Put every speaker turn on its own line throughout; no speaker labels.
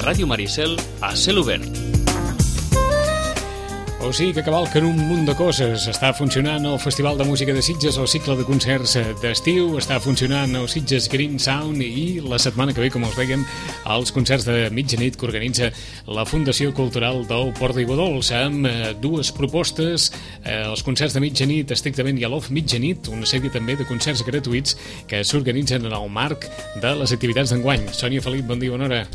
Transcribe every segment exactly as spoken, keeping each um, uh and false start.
Ràdio Maricel a cel obert.
O sigui que cavalquen un munt de coses. Està funcionant el Festival de Música de Sitges, el cicle de concerts d'estiu, està funcionant el Sitges Green Sound i la setmana que ve, com us dèiem, els concerts de mitjanit que organitza la Fundació Cultural del Port d'Aiguadols, amb eh, dues propostes, eh, els concerts de mitjanit estrictament i a l'off mitjanit, una sèrie també de concerts gratuïts que s'organitzen en el marc de les activitats d'enguany. Sònia Felip, bon dia, bona hora.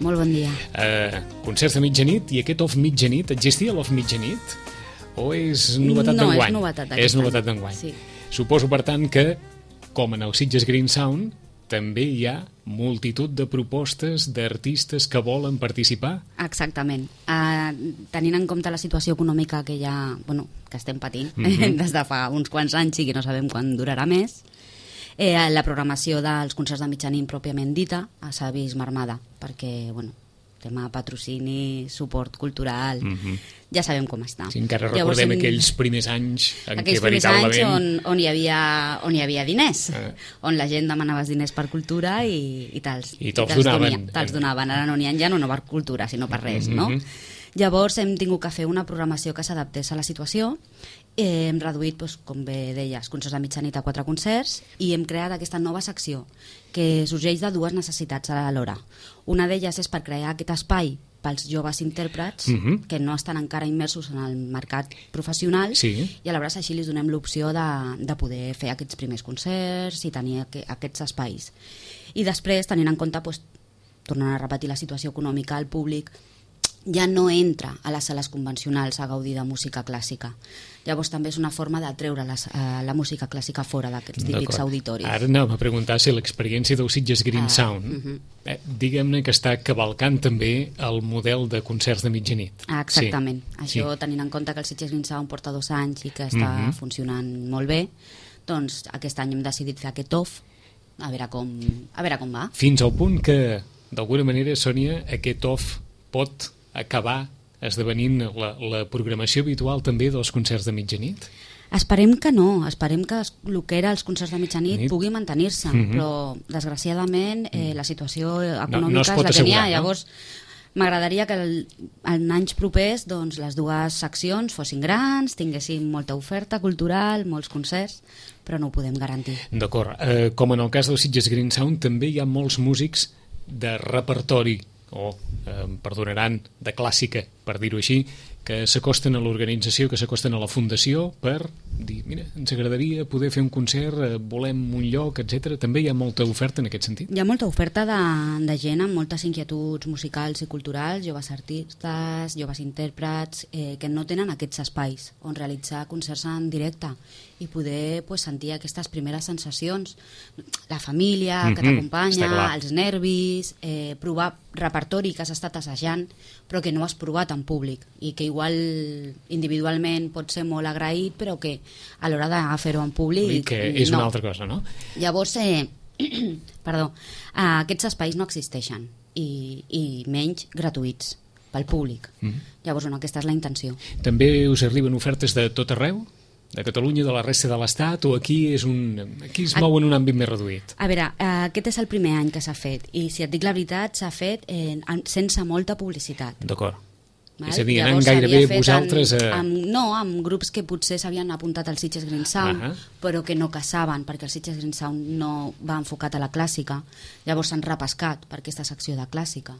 Molt bon dia.
Eh, concerts de mitjanit, i aquest off mitjanit, existia l'off mitjanit? O és novetat
no,
d'enguany?
és novetat d'aquest
És novetat
any.
d'enguany.
Sí.
Suposo, per tant, que, com en el Sitges Green Sound, també hi ha multitud de propostes d'artistes que volen participar?
Exactament. Uh, tenint en compte la situació econòmica que ja, bueno, que estem patint
Mhm.
des de fa uns quants anys i que no sabem quan durarà més, eh, la programació dels concerts de mitjanit pròpiament dita s'ha vist marmada, perquè, bueno, tema patrocini, suport cultural,
Mhm.
ja sabem com està.
Si encara
Llavors,
recordem
hem-
aquells primers anys en
aquells
què
primers anys
veritablement...
on, on, hi havia, on hi havia diners,
Eh.
on la gent demanava els diners per cultura i, i te'ls
I te'ls
te'ls
donaven.
donia- te'ls donaven. Ara no n'hi ha ja no, no per cultura, sinó per res, no?
Mhm.
Llavors hem tingut que fer una programació que s'adaptés a la situació. Eh, hem reduït, doncs, com bé deies, concerts de mitjanit a quatre concerts i hem creat aquesta nova secció que sorgeix de dues necessitats alhora. Una d'elles és per crear aquest espai pels joves intèrprets
Mhm.
que no estan encara immersos en el mercat professional,
Sí.
i aleshores així li donem l'opció de, de poder fer aquests primers concerts i tenir aqu aquests espais. I després, tenint en compte, doncs, tornant a repetir la situació econòmica, el públic ja no entra a les sales convencionals a gaudir de música clàssica. Llavors també és una forma de treure les, uh, la música clàssica fora d'aquests típics
D'acord.
auditoris.
Ara anàvem a preguntar si l'experiència del Sitges Green
Ah,
Sound,
mhm.
eh, diguem-ne que està cavalcant també el model de concerts de mitjanit.
Ah, exactament.
Sí.
Això,
Sí.
tenint en compte que el Sitges Green Sound porta dos anys i que està
Mhm.
funcionant molt bé, doncs aquest any hem decidit fer aquest off, a veure com, a veure com va.
Fins al punt que, d'alguna manera, Sònia, aquest off pot acabar esdevenint la, la programació habitual també dels concerts de mitjanit?
Esperem que no, esperem que es- el que era els concerts de mitjanit
Nit.
pugui mantenir-se,
Mhm.
però desgraciadament eh, la situació econòmica
no es pot
és la que n'hi ha.
assegurar, no?
Llavors m'agradaria que el, en anys propers doncs, les dues seccions fossin grans, tinguessin molta oferta cultural, molts concerts, però no ho podem garantir.
D'acord. Eh, com en el cas del Sitges Green Sound, també hi ha molts músics de repertori, o, eh, em perdonaran, de clàssica, per dir-ho així, que s'acosten a l'organització, que s'acosten a la fundació per dir, mira, ens agradaria poder fer un concert, eh, volem un lloc, etcètera. També hi ha molta oferta en aquest sentit?
Hi ha molta oferta de, de gent amb moltes inquietuds musicals i culturals, joves artistes, joves intèrprets, eh, que no tenen aquests espais on realitzar concerts en directe i poder pues, sentir aquestes primeres sensacions. La família que
Mhm, està
t'acompanya,
clar.
els nervis, eh, provar repertori que has estat assajant però que no has provat en públic i que igual individualment pot ser molt agraït però que a l'hora de fer-ho en públic
Que és
no.
una altra cosa, no?
Llavors, eh, perdó, eh, aquests espais no existeixen i, i menys gratuïts pel públic.
Mhm.
Llavors, bueno, aquesta és la intenció.
També us arriben ofertes de tot arreu? De Catalunya, de la resta de l'Estat, o aquí és un aquí es mou en un àmbit més reduït?
A veure, eh, aquest és el primer any que s'ha fet i si et dic la veritat s'ha fet eh, en- sense molta publicitat.
D'acord.
Val?
És a dir, anant
Llavors,
gairebé
s'havia fet
vosaltres
en,
a...
amb, no, amb grups que potser s'havien apuntat al Sitges Green Sound,
Ahà.
però que no caçaven, perquè el Sitges Green Sound no va enfocat a la clàssica. Llavors s'han repescat per aquesta secció de clàssica.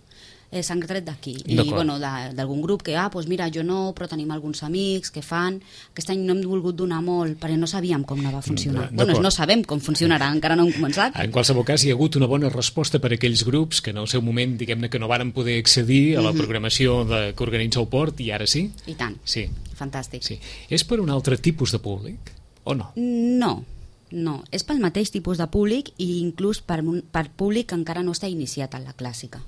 Eh, s'han tret d'aquí. I
D'acord.
bueno, de- d'algun grup que, ah, doncs mira, jo no, però tenim alguns amics que fan. Aquest any no hem volgut donar molt, perquè no sabíem com anava a funcionar.
D'acord.
Bueno, no sabem com funcionarà, encara no hem començat.
En qualsevol cas, hi ha hagut una bona resposta per a aquells grups que en el seu moment, diguem-ne, que no varen poder accedir a la programació de, que organitza el port, i ara sí?
I tant.
Sí,
Fantàstic.
sí. És per un altre tipus de públic, o no?
No, no. És pel mateix tipus de públic i inclús per, un- per públic que encara no està iniciat en la clàssica.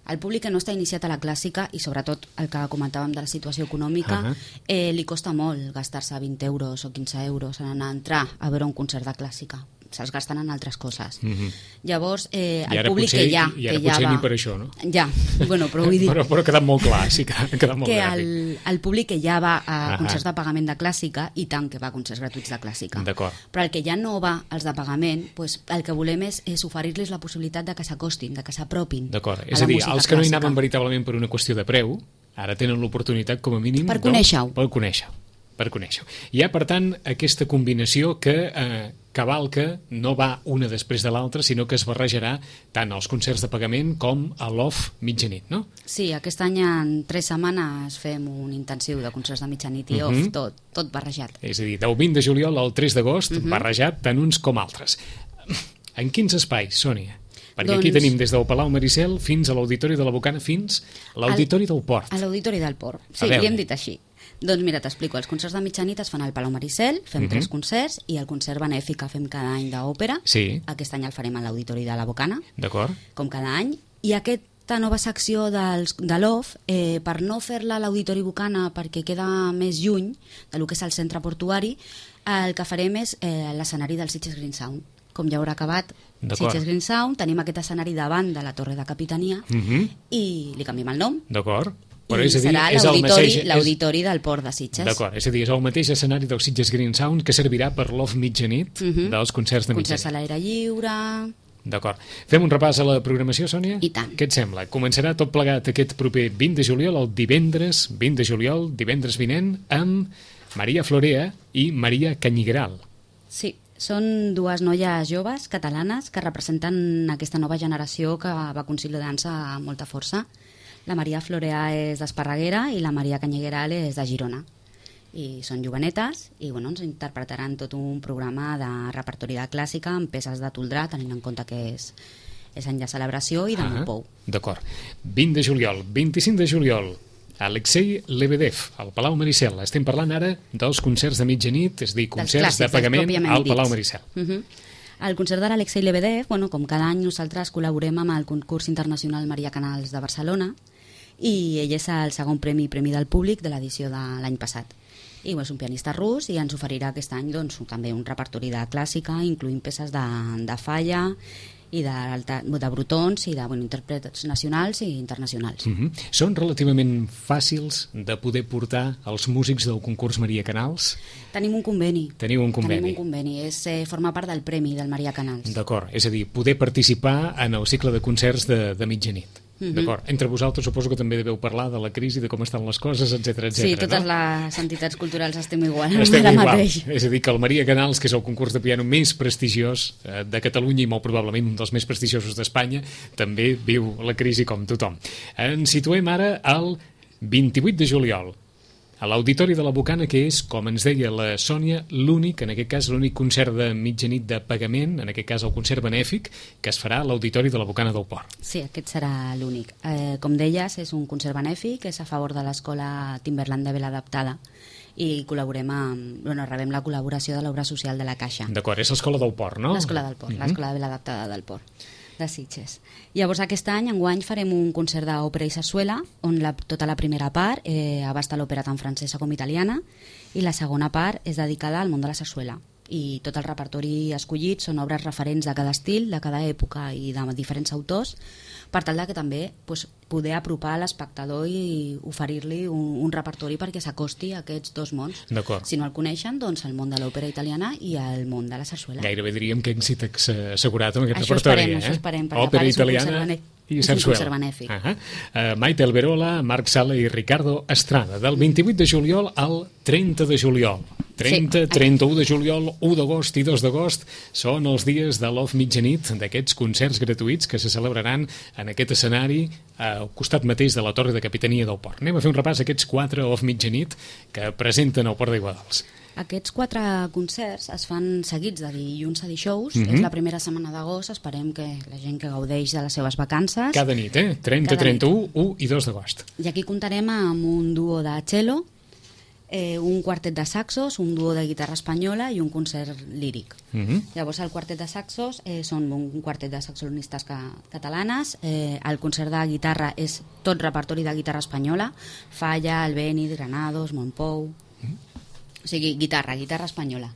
El públic que no està iniciat a la clàssica i sobretot el que comentàvem de la situació econòmica,
Ahà.
eh, li costa molt gastar-se vint euros o quinze euros en anar a entrar a veure un concert de clàssica. se'ls gasten en altres coses.
Mm-hmm.
Llavors, eh, el
I ara
públic
potser,
que hi ha...
I ara
que
potser
ja va...
ni per això, no?
Ja, bueno, però vull dir...
però, però ha quedat molt clar, sí que ha quedat molt
que
gràfic.
el, el públic que ja va a
Ahà.
concerts de pagament de clàssica, i tant que va a concerts gratuïts de clàssica.
D'acord.
Però el que ja no va als de pagament, pues, el que volem és, és oferir-los la possibilitat de que s'acostin, de que s'apropin.
D'acord,
a
és a
la
dir,
música
els que no hi
clàssica.
anaven veritablement per una qüestió de preu, ara tenen l'oportunitat, com a mínim...
Per conèixer-ho.
Per conèixer-ho. Per conèixer-ho. Hi ha, per tant, aquesta combinació que eh, cavalca no va una després de l'altra, sinó que es barrejarà tant als concerts de pagament com a l'off mitjanit, no?
Sí, aquest any en tres setmanes fem un intensiu de concerts de mitjanit i
Mhm.
off, tot, tot barrejat.
És a dir, del vint de juliol al tres d'agost,
Mhm.
barrejat tant uns com altres. En quins espais, Sònia? Perquè
Doncs-
aquí tenim des del Palau Maricel fins a l'Auditori de la Bocana fins a l'Auditori del Port.
A l'Auditori del Port.
A
Sí,
veure.
li hem dit així. Doncs mira, t'explico. Els concerts de mitjanit es fan al Palau Maricel, fem
Mhm.
tres concerts, i el concert benèfic que fem cada any d'òpera,
Sí.
aquest any el farem a l'Auditori de la Bocana,
D'acord?
com cada any, i aquesta nova secció dels, de l'O F, eh, per no fer-la a l'Auditori Bocana perquè queda més lluny del que és el centre portuari, el que farem és eh, l'escenari del Sitges Green Sound. Com ja haurà acabat
D'acord.
Sitges Green Sound, tenim aquest escenari davant de la Torre de Capitania
Mhm.
i li canviem el nom.
D'acord? Però
I
és a dir,
serà
és el
l'auditori
mateix- és-
l'auditori del Port de Sitges.
D'acord, és a dir, és el mateix escenari del Sitges Green Sound que servirà per l'off mitjanit
Mhm.
dels concerts de
Concerts a
mitjanit.
l'aire lliure...
D'acord. Fem un repàs a la programació, Sònia?
I tant.
Què et sembla? Començarà tot plegat aquest proper vint de juliol, el divendres, vint de juliol, divendres vinent, amb Maria Florea i Maria Canyigral.
Sí, són dues noies joves catalanes que representen aquesta nova generació que va consolidant-se amb molta força. La Maria Florea és d'Esparreguera i la Maria Canyigueral és de Girona. I són jovenetes i bueno, ens interpretaran tot un programa de repertori de clàssica amb peces de Toldrà, tenint en compte que és, és any de celebració i de
Ah,
Montpou.
D'acord. vint de juliol, vint-i-cinc de juliol, Alexei Lebedev, al Palau Maricel. Estem parlant ara dels concerts de mitjanit, és a dir,
Dels
concerts
clàssics,
de
dels
pagament
pròpiament
al
dits.
Palau Maricel.
Uh -huh. El concert de l'Alexei Lebedev, bueno, com cada any nosaltres col·laborem amb el concurs internacional Maria Canals de Barcelona i ell és el segon premi premi del públic de l'edició de l'any passat. I bueno, és un pianista rus i ens oferirà aquest any doncs, també un repertori de clàssica, incloent peces de, de Falla i de, de Brutons i de bueno, intèrprets nacionals i internacionals.
Mm -hmm. Són relativament fàcils de poder portar els músics del concurs Maria Canals?
Tenim un conveni.
Teniu un conveni.
Tenim un conveni. És eh, formar part del premi del Maria Canals.
D'acord, és a dir, poder participar en el cicle de concerts de, de mitjanit. Mm -hmm. D'acord. Entre vosaltres suposo que també deveu parlar de la crisi, de com estan les coses, etcètera, etcètera.
Sí, totes
no?
les entitats culturals estem igual.
Estem
ara
igual.
mateix.
És a dir, que el Maria Canals, que és el concurs de piano més prestigiós eh, de Catalunya i molt probablement un dels més prestigiosos d'Espanya, també viu la crisi com tothom. Ens situem ara al vint-i-vuit de juliol, a l'Auditori de la Bocana, que és, com ens deia la Sònia, l'únic, en aquest cas, l'únic concert de mitjanit de pagament, en aquest cas el concert benèfic, que es farà a l'Auditori de la Bocana del Port.
Sí, aquest serà l'únic. Eh, com deies, és un concert benèfic, és a favor de l'escola Timberland de Vela Adaptada i col·laborem amb, bueno, rebem la col·laboració de l'obra social de la Caixa.
D'acord, és l'Escola del Port, no?
L'escola del Port,
Mhm.
l'escola de Vela Adaptada del Port de Sitges. Llavors aquest any, enguany, farem un concert d'òpera i sarsuela on la, tota la primera part eh, abasta l'òpera tant francesa com italiana i la segona part és dedicada al món de la sarsuela. I tot el repertori escollit són obres referents de cada estil, de cada època i de diferents autors, per tal de que també pues, poder apropar l'espectador i oferir-li un, un repertori perquè s'acosti a aquests dos mons.
D'acord.
Si no el coneixen, doncs el món de l'òpera italiana i el món de la sarsuela.
Gairebé diríem que èxit ex- assegurat amb aquest
Això
repertori.
esperem,
eh?
això esperem, perquè a
Òpera
part és un
italiana
concert benèfic.
i
És un
sarsuela.
concert benèfic.
Uh -huh. uh, Maite Alberola, Marc Sala i Ricardo Estrada, del vint-i-vuit de juliol al trenta de juliol. trenta,
Sí.
trenta-u de juliol, u d'agost i dos d'agost són els dies de l'Off Mitjanit, d'aquests concerts gratuïts que se celebraran en aquest escenari al costat mateix de la Torre de Capitania del Port. Anem a fer un repàs a aquests quatre Off Mitjanit que presenten el Port d'Iguadals.
Aquests quatre concerts es fan seguits de dilluns a dijous.
Mhm.
És la primera setmana d'agost. Esperem que la gent que gaudeix de les seves vacances...
Cada nit, eh? trenta,
Cada
trenta-u, u i dos d'agost.
I aquí comptarem amb un duo de cello, eh, un quartet de saxos, un duo de guitarra espanyola i un concert líric.
Mhm.
Llavors el quartet de saxos eh, són un quartet de saxofonistes ca catalanes, eh, el concert de guitarra és tot repertori de guitarra espanyola, Falla, Albéniz, Granados, Montpou... O sigui, guitarra, guitarra espanyola.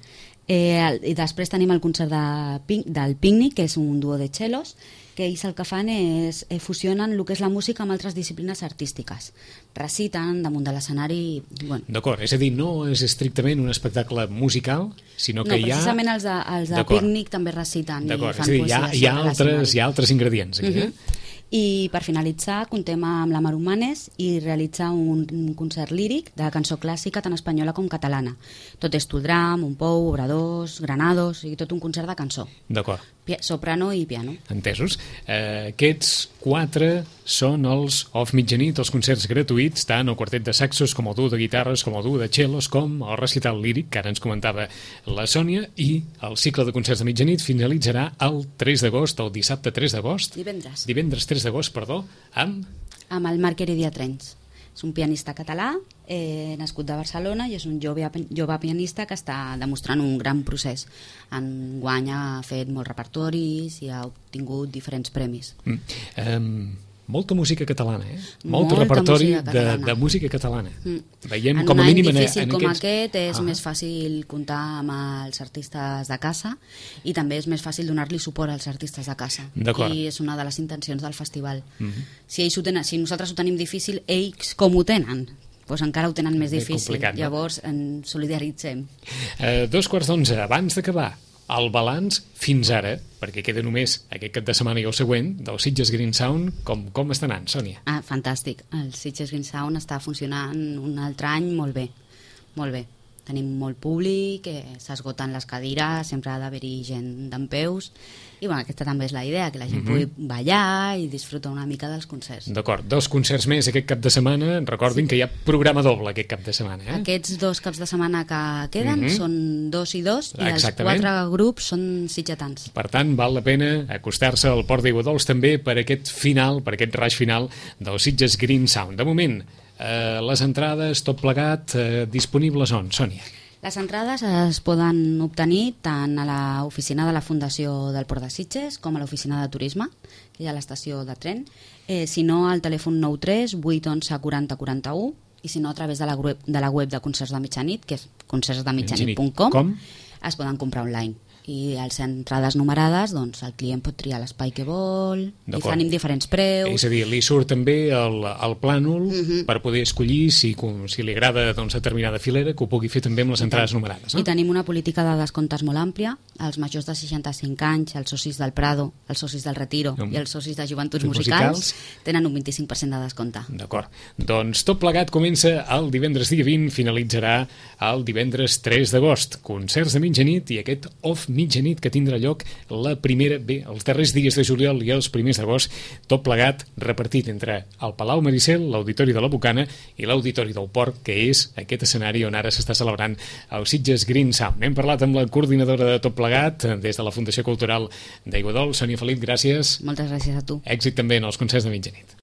Eh, el, I després tenim el concert de, Pin- del Picnic, que és un duo de cellos, que ells el que fan és eh, fusionen el que és la música amb altres disciplines artístiques. Reciten damunt de l'escenari... Bueno.
D'acord, és a dir, no és estrictament un espectacle musical, sinó que
no,
hi ha...
precisament els de, els de Picnic també reciten i
D'acord,
fan
és a dir, hi ha,
poesia
hi ha,
sobre
altres,
l'escenari.
hi ha altres ingredients aquí,
Mhm.
eh?
I per finalitzar contem amb la Mar Humanes i realitzar un, un concert líric de la cançó clàssica tant espanyola com catalana. Tot és Toldram, un pou, obradors, granados, i tot un concert de cançó.
D'acord,
Pia- soprano i piano.
entesos. Eh, aquests quatre són els Off Mitjanit, els concerts gratuïts, tant el quartet de saxos com el duo de guitarres, com el duo de cellos, com el recital líric, que ara ens comentava la Sònia, i el cicle de concerts de mitjanit finalitzarà el tres d'agost, el dissabte tres d'agost,
Divendres.
divendres tres d'agost, perdó, amb...
Amb el Marc Heredia Trens. És un pianista català, eh, nascut de Barcelona, i és un jove, jove pianista que està demostrant un gran procés. Enguany ha fet molts repertoris i ha obtingut diferents premis.
Mm. Um, molta música catalana, eh? Molt
Molta
repertori
música
de,
catalana.
de música catalana.
Mm.
Veiem
en
com a
un any
mínim en,
difícil
en
com
aquests...
aquest és
Ah.
més fàcil comptar amb els artistes de casa i també és més fàcil donar-li suport als artistes de casa.
D'acord.
I és una de les intencions del festival.
Mhm.
Si, ells ho tenen, si nosaltres ho tenim difícil, ells com ho tenen? Doncs encara ho tenen més
Ben
difícil.
complicat, no?
Llavors ens solidaritzem.
Eh, dos quarts d'onze, abans d'acabar, el balanç fins ara, perquè queda només aquest cap de setmana i el següent, del Sitges Green Sound, com, com està anant, Sònia?
Ah, fantàstic. El Sitges Green Sound està funcionant un altre any molt bé. Molt bé. Tenim molt públic, eh, s'esgoten les cadires, sempre ha d'haver-hi gent dempeus. I bueno, aquesta també és la idea, que la gent
Mhm.
pugui ballar i disfrutar una mica dels concerts.
D'acord, dos concerts més aquest cap de setmana. Recordin que hi ha programa doble aquest cap de setmana, eh?
Aquests dos caps de setmana que queden
Mhm.
són dos i dos, i els
Exactament.
quatre grups són sitgetans.
Per tant, val la pena acostar-se al Port d'Aiguadols també per aquest final, per aquest raig final del Sitges Green Sound. De moment, eh, les entrades, tot plegat, eh, disponibles on, Sònia?
Les entrades es poden obtenir tant a l'oficina de la Fundació del Port de Sitges com a l'oficina de turisme, que hi ha a l'estació de tren, eh, si no al telèfon nou tres vuit onze quaranta quaranta-u, i si no a través de la web de, la web de Concerts de Mitjanit, que és concerts de mitjanit punt com,
Com?
es poden comprar online. I als entrades numerades, doncs el client pot triar l'espai que vol, i
D'acord.
tenim diferents preus.
És a dir, li surt també el, el plànol
Mhm.
per poder escollir si, com- si li agrada doncs, determinada filera, que ho pugui fer també amb les entrades numerades. No?
I tenim una política de descomptes molt àmplia. Els majors de seixanta-cinc anys, els socis del Prado, els socis del Retiro
Mm.
i els socis de Joventuts
Musicals.
Musicals tenen un vint-i-cinc per cent de descompte.
D'acord. Doncs tot plegat comença el divendres dia vint, finalitzarà el divendres tres d'agost. Concerts de mitjanit i aquest off mitjanit que tindrà lloc la primera, bé, els darrers dies de juliol i els primers d'agost, tot plegat repartit entre el Palau Maricel, l'Auditori de la Bocana i l'Auditori del Port, que és aquest escenari on ara s'està celebrant el Sitges Green Sound. Hem parlat amb la coordinadora de tot plegat des de la Fundació Cultural d'Aiguadols, Sònia Felip, gràcies.
Moltes gràcies a tu.
Èxit també en els concerts de mitjanit.